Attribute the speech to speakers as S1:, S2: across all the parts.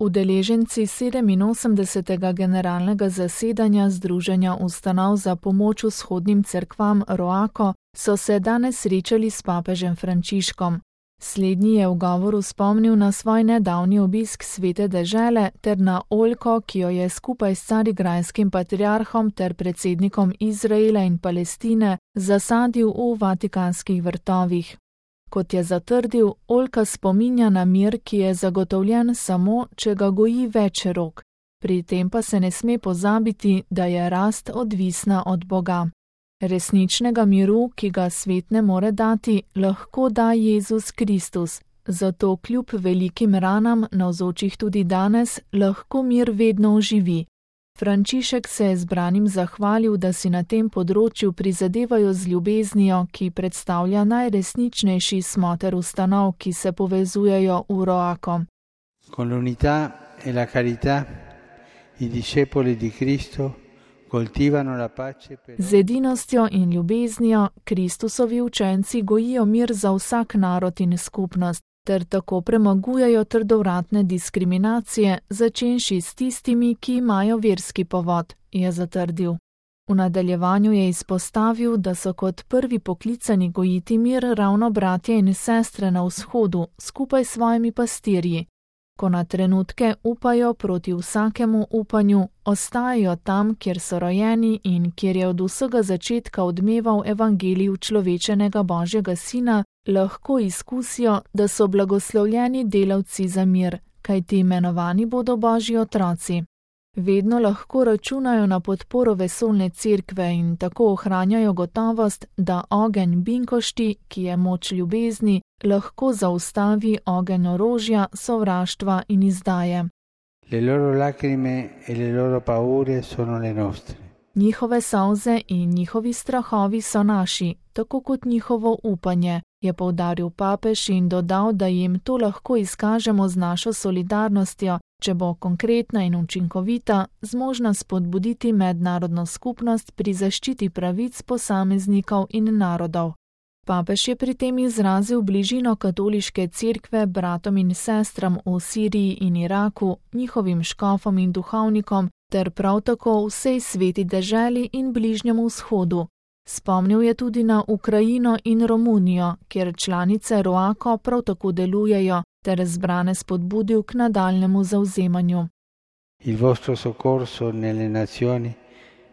S1: Udeleženci 87. generalnega zasedanja Združenja ustanov za pomoč vzhodnim cerkvam ROACO so se danes srečali s papežem Frančiškom. Slednji je v govoru spomnil na svoj nedavni obisk Svete dežele ter na oljko, ki jo je skupaj s carigrajskim patriarhom ter predsednikom Izraela in Palestine zasadil v vatikanskih vrtovih. Kot je zatrdil, oljka spominja na mir, ki je zagotovljen samo, če ga goji več rok. Pri tem pa se ne sme pozabiti, da je rast odvisna od Boga. Resničnega miru, ki ga svet ne more dati, lahko da Jezus Kristus. Zato kljub velikim ranam, navzočih tudi danes, lahko mir vedno oživi. Frančišek se je zbranim zahvalil, da si na tem področju prizadevajo z ljubeznijo, ki predstavlja najresničnejši smoter ustanov, ki se povezujejo v ROACO.
S2: Con l'unità e la carità, i discepoli di Cristo coltivano la pace per...
S1: Z edinostjo in ljubeznijo Kristusovi učenci gojijo mir za vsak narod in skupnost, ter tako premagujejo trdovratne diskriminacije, začenši s tistimi, ki imajo verski povod, je zatrdil. V nadaljevanju je izpostavil, da so kot prvi poklicani gojiti mir ravno bratje in sestre na vzhodu, skupaj s svojimi pastirji. Ko na trenutke upajo proti vsakemu upanju, ostajajo tam, kjer so rojeni in kjer je od vsega začetka odmeval evangelij človečenega Božjega Sina, lahko izkusijo, da so blagoslovljeni delavci za mir, kajti imenovani bodo Božji otroci. Vedno lahko računajo na podporo vesoljne cerkve in tako ohranjajo gotovost, da ogenj binkošti, ki je moč ljubezni, lahko zaustavi ogenj orožja, sovraštva in izdaje.
S2: Le loro lacrime e le loro paure sono le nostre.
S1: Njihove solze in njihovi strahovi so naši, tako kot njihovo upanje, je poudaril papež in dodal, da jim to lahko izkažemo z našo solidarnostjo, če bo konkretna in učinkovita, zmožna spodbuditi mednarodno skupnost pri zaščiti pravic posameznikov in narodov. Papež je pri tem izrazil bližino katoliške cerkve bratom in sestram v Siriji in Iraku, njihovim škofom in duhovnikom, ter prav tako vsej sveti deželi in bližnjemu vzhodu. Spomnil je tudi na Ukrajino in Romunijo, kjer članice ROACO prav tako delujejo, ter zbrane spodbudil k nadaljnemu zavzemanju.
S2: Il vostro soccorso nelle nazioni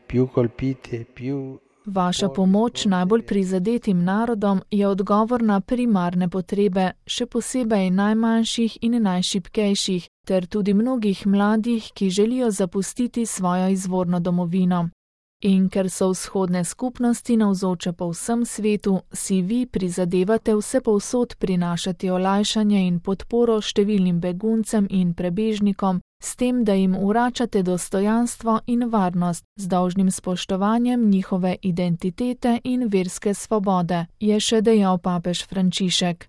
S2: più colpite, più...
S1: Vaša pomoč najbolj prizadetim narodom je odgovor na primarne potrebe, še posebej najmanjših in najšibkejših, ter tudi mnogih mladih, ki želijo zapustiti svojo izvorno domovino. In ker so vzhodne skupnosti navzoče po vsem svetu, si vi prizadevate vsepovsod prinašati olajšanje in podporo številnim beguncem in prebežnikom, s tem, da jim vračate dostojanstvo in varnost z dolžnim spoštovanjem njihove identitete in verske svobode, je še dejal papež Frančišek.